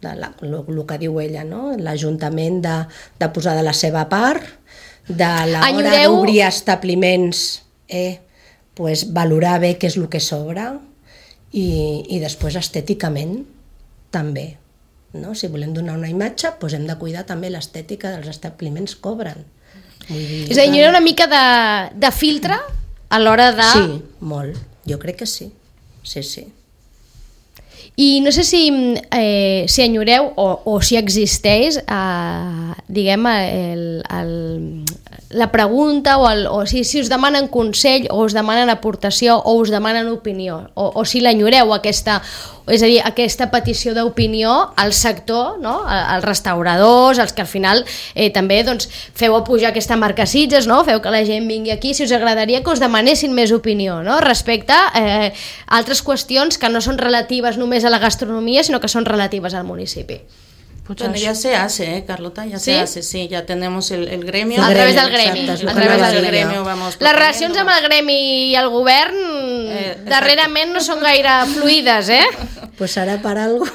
El que diu ella, no? L'Ajuntament de posar de la seva part, de l'hora d'obrir establiments, pues, valorar bé què és el que sobra i després estèticament també. No? Si volem donar una imatge, doncs hem de cuidar també l'estètica dels establiments que obren. És a dir, hi ha una mica de filtre a l'hora de... Sí, molt. Jo crec que sí. Sí, sí. I no sé si enyoreu o si existeix, diguem, la pregunta o si us demanen consell o us demanen aportació o us demanen opinió o si l'enyoreu aquesta, és a dir, aquesta petició d'opinió al sector, no? Als restauradors, als que al final també doncs, feu pujar aquesta marca Sitges, no? Feu que la gent vingui aquí, si us agradaria que us demanessin més opinió, no? Respecte a altres qüestions que no són relatives només a la gastronomia, sinó que són relatives al municipi. Bueno, ya se hace, Carlota, ya se hace, sí, ya tenemos el gremio. A través del gremi. Exacte, A través del gremio vamos Les relacions amb el gremi i el govern darrerament no són gaire fluides, Pues serà per algo.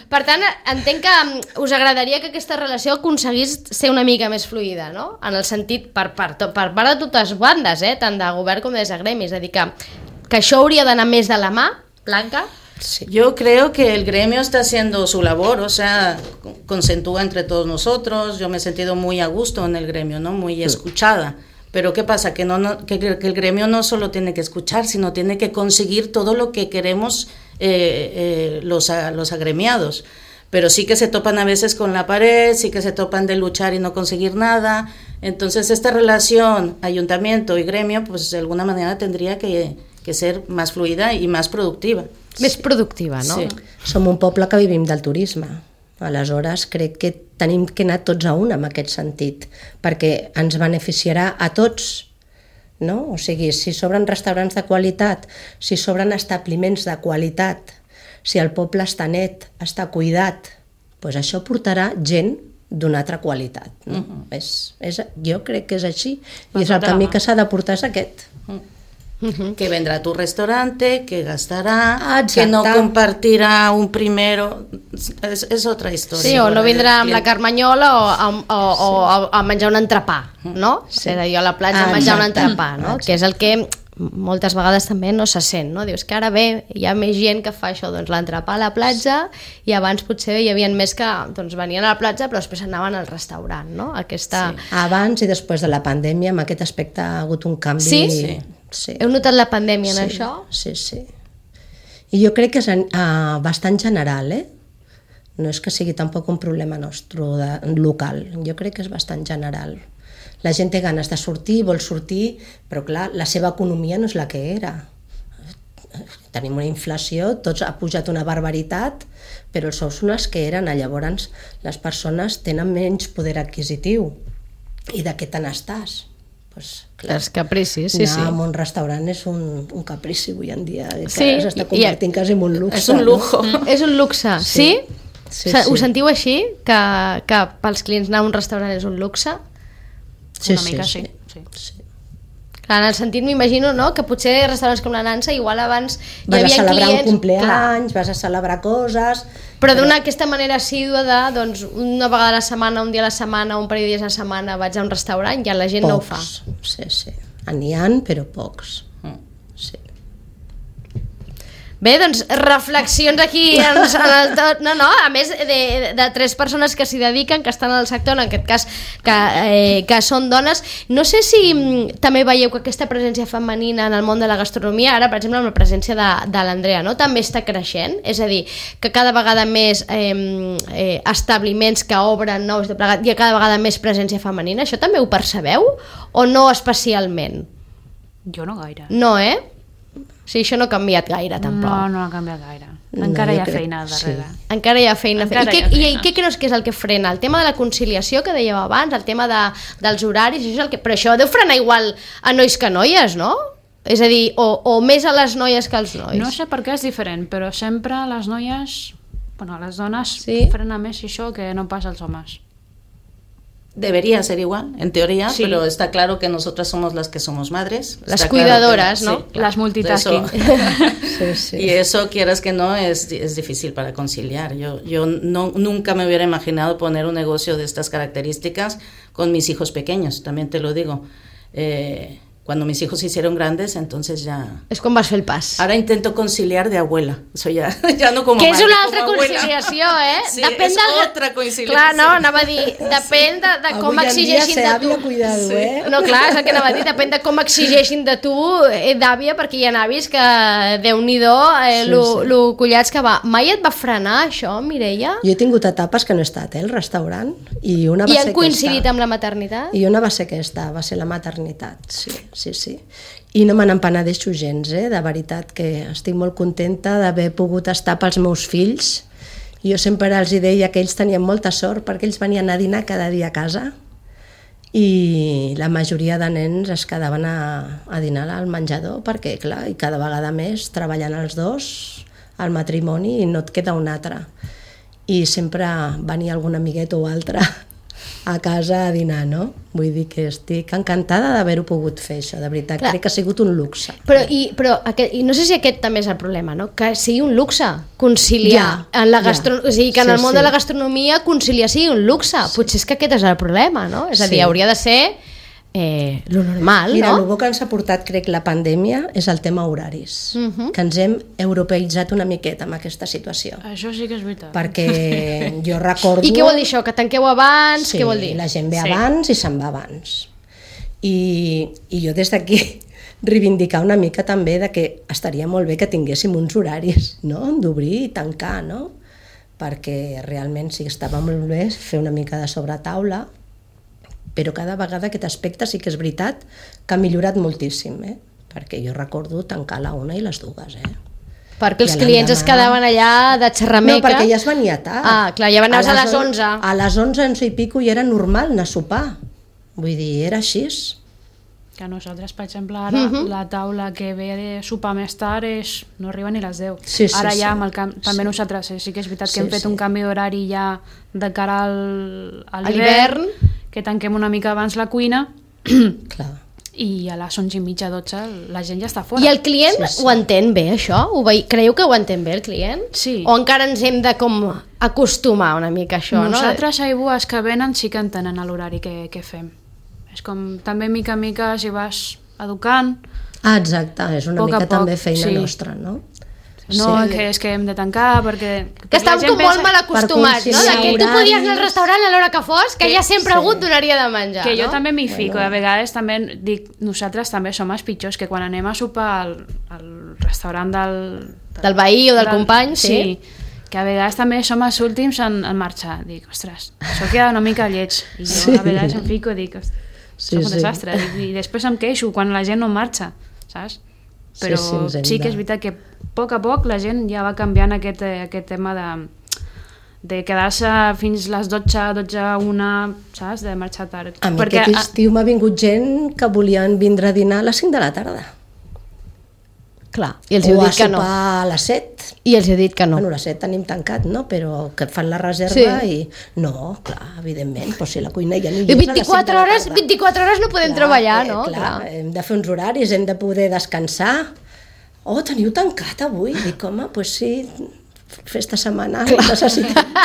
Per tant, entenc que us agradaria que aquesta relació aconseguís ser una mica més fluida, no? En el sentit, per part de totes bandes, tant de govern com des de gremi, és a dir, que això hauria d'anar més de la mà, Blanca? Sí. Yo creo que el gremio está haciendo su labor, o sea, consentúa entre todos nosotros. Yo me he sentido muy a gusto en el gremio, ¿no? Muy escuchada. Pero ¿qué pasa? Que el gremio no solo tiene que escuchar, sino tiene que conseguir todo lo que queremos los agremiados. Pero sí que se topan a veces con la pared, sí que se topan de luchar y no conseguir nada. Entonces esta relación ayuntamiento y gremio, pues de alguna manera tendría que ser más fluida y más productiva. Més productiva, no? Sí. Som un poble que vivim del turisme. Aleshores, crec que tenim que anar tots a una en aquest sentit, perquè ens beneficiarà a tots, no? O sigui, si s'obren restaurants de qualitat, si s'obren establiments de qualitat, si el poble està net, està cuidat, doncs això portarà gent d'una altra qualitat. No? Jo crec que és així, i és el camí que s'ha de portar és aquest. Que vendrá a tu restaurante, que gastará, Exacte. que no compartirá un primero, es otra historia. Sí, o no vindrà amb la Carmanyola o a menjar un entrepà, no? Sí. És a dir, a la platja a menjar un entrepà, no? Que és el que moltes vegades també no se sent, no? Dius que ara bé, hi ha més gent que fa això, doncs l'entrepà a la platja, i abans potser hi havia més que doncs, venien a la platja però després anaven al restaurant, no? Aquesta... Sí. Abans i després de la pandèmia, amb aquest aspecte ha hagut un canvi... Sí? Sí. Heu notat la pandèmia en això? Sí, sí. I jo crec que és bastant general, No és que sigui tampoc un problema nostre local, jo crec que és bastant general. La gent té ganes de sortir, vol sortir, però clar, la seva economia no és la que era. tenim una inflació, tots ha pujat una barbaritat, però els sous són els que eren, llavors les persones tenen menys poder adquisitiu. I de què te n'estàs? Pues, clar, Els capricis, sí, anar a un restaurant és un caprici avui en dia, que Sí, s'està convertint quasi en un luxe. És un lujo. No? És un luxe, sí? Sí, Ho sí. sentiu així? Que pels clients anar a un restaurant és un luxe? Sí, Una mica sí. sí. Clar, en el sentit m'imagino, no?, que potser restaurants com la Nansa igual abans hi Vas a havia celebrar clients... un compleanys, vas a celebrar coses... Però d'una aquesta manera assídua de, doncs, una vegada a la setmana, un dia a la setmana, un parell de dies a la setmana vaig a un restaurant, ja la gent no ho fa. Sí, sí. N'hi ha, però pocs. Sí. Bé, doncs, reflexions aquí en el tot. No, a més de 3 persones que s'hi dediquen, que estan al sector, en aquest cas que són dones. No sé si també veieu que aquesta presència femenina en el món de la gastronomia, ara, per exemple, amb la presència de l'Andrea, no?, també està creixent, és a dir, que cada vegada més establiments que obren nous de plegat, hi ha cada vegada més presència femenina. Això també ho percebeu? O no especialment? Jo no gaire. No, Sí, això no ha canviat gaire, tampoc. No ha canviat gaire. Encara No, hi jo ha crec- feina al darrere. sí. Encara hi ha feina. Encara I hi ha feina. què creus que és el que frena? El tema de la conciliació que dèieu abans, el tema dels horaris, això és el que... Però això deu frenar igual a nois que a noies, no? És a dir, o més a les noies que als nois. No sé per què és diferent, però sempre les noies, bueno, les dones Sí. frena més això que no pas els homes. Debería ser igual, en teoría, Sí. pero está claro que nosotras somos las que somos madres. Las Está cuidadoras, claro ¿no? claro. Las multitasking. Sí, sí. Y eso, quieras que no, es difícil para conciliar. Yo nunca me hubiera imaginado poner un negocio de estas características con mis hijos pequeños, también te lo digo. Cuando mis hijos se hicieron grandes, entonces ya... És quan vas fer el pas. Ahora intento conciliar de abuela. Eso ya no como Que és madre, una como altra abuela. conciliació, Sí, Depèn és del... otra conciliació. Clar, no, anava a dir, depèn de com Avui en dia exigeixin ser de àvia, tu. cuidado, No, clar, és el que anava a dir, depèn de com exigeixin de tu d'àvia, perquè hi ha avis que, Déu-n'hi-do, lo collats que va. Mai et va frenar això, Mireia? Jo he tingut etapes que no he estat, al restaurant, i una va I ser han coincidit aquesta. amb la maternitat? I una va ser aquesta, va ser la maternitat, sí. I no me n'empenedeixo gens, de veritat que estic molt contenta d'haver pogut estar pels meus fills. Jo sempre els deia que ells tenien molta sort perquè ells venien a dinar cada dia a casa i la majoria de nens es quedaven a dinar al menjador perquè, clar, i cada vegada més treballant els dos al matrimoni i no et queda un altre. I sempre venia algun amiguet o altre a casa a dinar, no? Vull dir que estic encantada d'haver-ho pogut fer, això, de veritat. Clar. Crec que ha sigut un luxe. I no sé si aquest també és el problema, no? Que sigui un luxe conciliar Ja, en la ja. o sigui, que en Sí, el món sí. de la gastronomia conciliar sigui un luxe. Potser és que aquest és el problema, no? És a dir, Sí. hauria de ser lo normal, Mira, no? el bo que ens ha portat, crec, la pandèmia és el tema horaris, que ens hem europeïtzat una miqueta amb aquesta situació. Això sí que és veritat. Perquè jo recordo... I què vol dir això? Que tanqueu abans? Sí, Què vol dir? la gent ve Sí. abans i se'n va abans. I jo des d'aquí reivindicar una mica també de que estaria molt bé que tinguéssim uns horaris, no?, d'obrir i tancar, no? Perquè realment sí que estava molt bé fer una mica de sobretaula, però cada vegada aquest aspecte sí que és veritat que ha millorat moltíssim, perquè jo recordo tancar a la 1 i les 2, Perquè els I a clients es l'endemà- quedaven allà de xerrameca. No, perquè ja es venia tard. Ah, clar, ja anaves a les 11. A les 11 i pico ja era normal anar a sopar. Vull dir, era així. Que nosaltres, per exemple, ara la taula que ve de sopar més tard no arriba ni a les 10. Sí, sí, ara ja sí. amb el també nosaltres sí que és veritat que Sí, hem fet sí. un canvi d'horari ja de cara a l'hivern. que tanquem una mica abans la cuina Clar. i a les 11:30, 12 la gent ja està fora. I el client Sí, sí. ho entén bé, això? Creieu que ho entén bé el client? Sí. O encara ens hem de com acostumar una mica a això, Nosaltres, aigües que venen, sí que entenen l'horari que fem. És com també mica en mica si vas educant, Ah, exacte, és una Poc a mica poc, també feina sí. nostra, no? no que és que hem de tancar perquè... Que estàvem com molt mal acostumats, no? conciliar De que tu horaris. podies anar al restaurant a l'hora que fos, que ja sempre algú et donaria de menjar, Que jo no? també m'hi fico, a vegades també dic, nosaltres també som els pitjors, que quan anem a sopar al restaurant Del veí o del company, sí. sí, que a vegades també som els últims en marxar. Dic, ostres, això queda una mica lleig. I jo a vegades em fico i dic, Sí, som un sí. desastre. I després em queixo quan la gent no marxa, saps? però sí que és veritat que a poc la gent ja va canviant aquest tema de quedar-se fins les 12, 1, saps? De marxar tard. A mi aquest estiu m'ha vingut gent que volien vindre a dinar a les 5 de la tarda. Clar, i els heu dit que no. O a sopar a les 7. I els heu dit que no. Bueno, a les 7 tenim tancat, no? Però que fan la reserva i... No, clar, evidentment, doncs si la cuina ja no hi és 24 hores no podem treballar, no? Clar, hem de fer uns horaris, hem de poder descansar. Oh, teniu tancat avui? Dic, home, doncs sí, festa setmanal, necessitem.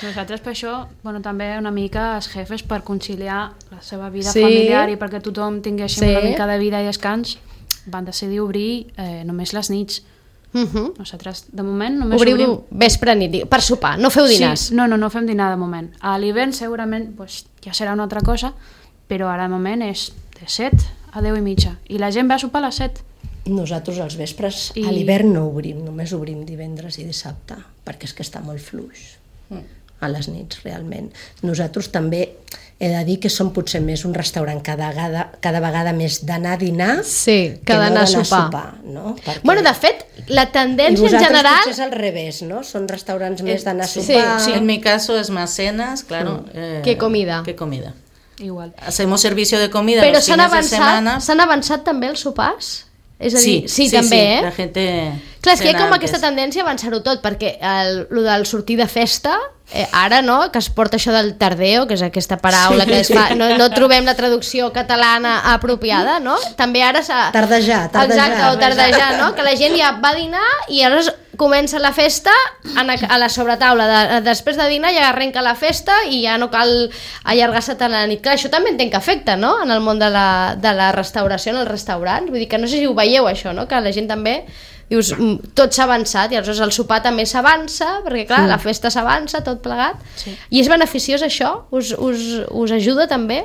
Nosaltres per això, bueno, també una mica els jefes per conciliar la seva vida familiar i perquè tothom tinguéssim una mica de vida i descans, van decidir obrir només les nits. Nosaltres, de moment, només obrim... vespre nit, per sopar, no feu dinars? Sí, no fem dinar de moment. A l'hivern segurament ja serà una altra cosa, però ara de moment és de 7 a 10:30 i la gent ve a sopar a les 7. Nosaltres als vespres a l'hivern no obrim, només obrim divendres i dissabte, perquè és que està molt fluix a les nits, realment. Nosaltres també he de dir que som potser més un restaurant cada vegada més d'anar a dinar que d'anar a sopar. No? Perquè... Bueno, de fet, la tendència en general... I vosaltres potser és al revés, ¿no? Són restaurants més d'anar a sopar. Sí, en mi caso es más cenas, claro. Que comida. Que comida. Igual. Hacemos servicio de comida Però los fines de semana. S'han avançat també els sopars? És a dir, sí, també, la gente... Clar, és que hi ha com aquesta tendència a avançar-ho tot, perquè el del sortir de festa, ara, no?, que es porta això del tardeo, que és aquesta paraula que es fa, no trobem la traducció catalana apropiada, no? També ara s'ha... Tardejar. Exacte, o tardejar, no? Que la gent ja va a dinar i aleshores comença la festa a la sobretaula. Després de dinar ja arrenca la festa i ja no cal allargar-se tant a la nit. Clar, això també entenc que afecta, no?, en el món de la restauració, en els restaurants. Vull dir que no sé si ho veieu, això, no?, que la gent també... Dius, tot s'ha avançat i aleshores el sopar també s'avança, perquè clar, la festa s'avança, tot plegat. Sí. I és beneficiós això? Us ajuda també?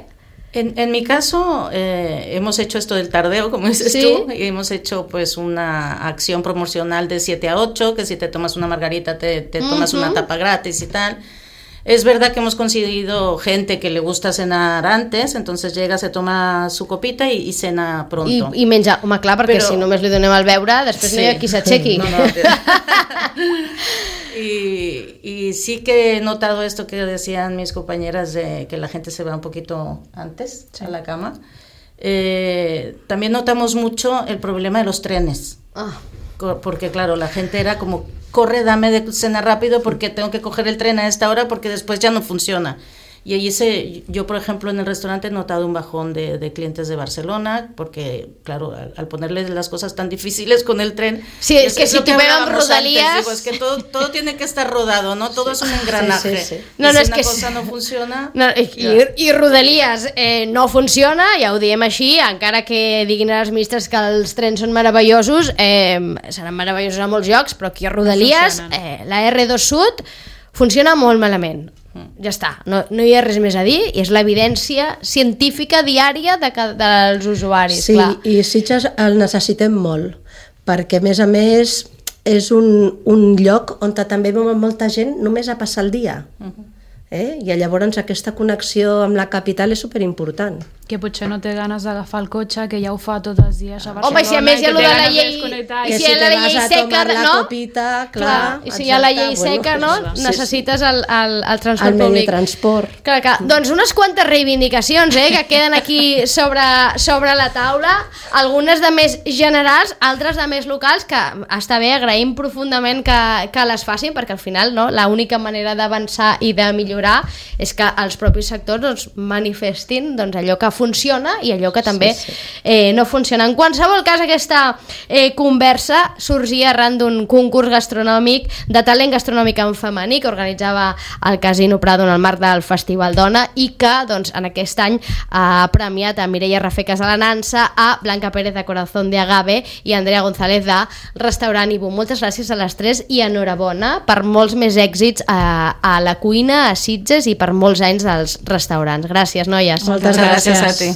En mi caso, hemos hecho esto del tardeo, como dices tú, y hemos hecho pues una acción promocional de 7 a 8, que si te tomas una margarita te tomas una tapa gratis y tal. Es verdad que hemos conseguido gente que le gusta cenar antes, entonces llega, se toma su copita y cena pronto. I menja, home, clar, perquè si només li donem el beure, després no hi ha qui s'aixequi. Y sí que he notado esto que decían mis compañeras de que la gente se va un poquito antes a la cama. También notamos mucho el problema de los trenes. Porque claro, la gente era como, corre, dame de cenar rápido porque tengo que coger el tren a esta hora porque después ya no funciona. Y allí yo, por ejemplo, en el restaurante he notado un bajón de clientes de Barcelona, porque, claro, al ponerles las cosas tan difíciles con el tren... Sí, es que si te pegan rodalías... Digo, es que todo tiene que estar rodado, ¿no? Todo es un engranaje. Sí. No, si una cosa no funciona... No, i Rodalies no funciona, ja ho diem així, encara que diguin a les ministres que els trens són meravellosos, seran meravellosos a molts llocs, però aquí a Rodalies, la R2 Sud, funciona molt malament. Ja està, no hi ha res més a dir i és l'evidència científica diària dels usuaris. Sí, clar. I Sitges el necessitem molt, perquè a més és un lloc on també ve molta gent només a passar el dia. I llavors aquesta connexió amb la capital és superimportant. Que potser no té ganes d'agafar el cotxe, que ja ho fa tots els dies a Barcelona. Home, i si a més hi ha allò de la llei... I si la llei seca, no? Copita, clar, i si hi ha la llei seca, no? Necessites el transport públic. El meditransport. Clar. Doncs unes quantes reivindicacions que queden aquí sobre la taula, algunes de més generals, altres de més locals, que està bé, agraïm profundament que les facin, perquè al final l'única manera d'avançar i de millorar és que els propis sectors manifestin allò que funciona i allò que també no funciona. En qualsevol cas, aquesta conversa sorgia arran d'un concurs gastronòmic de talent gastronòmic en femení que organitzava el Casino Prado en el marc del Festival Dona i que en aquest any ha premiat a Mireia Rafecas de la Nansa, a Blanca Pérez de Corazón de Agave i a Andrea González de Restaurant Ibu. Moltes gràcies a les tres i enhorabona per molts més èxits a la cuina, a Sitges i per molts anys dels restaurants. Gràcies, noies. Moltes gràcies a ti.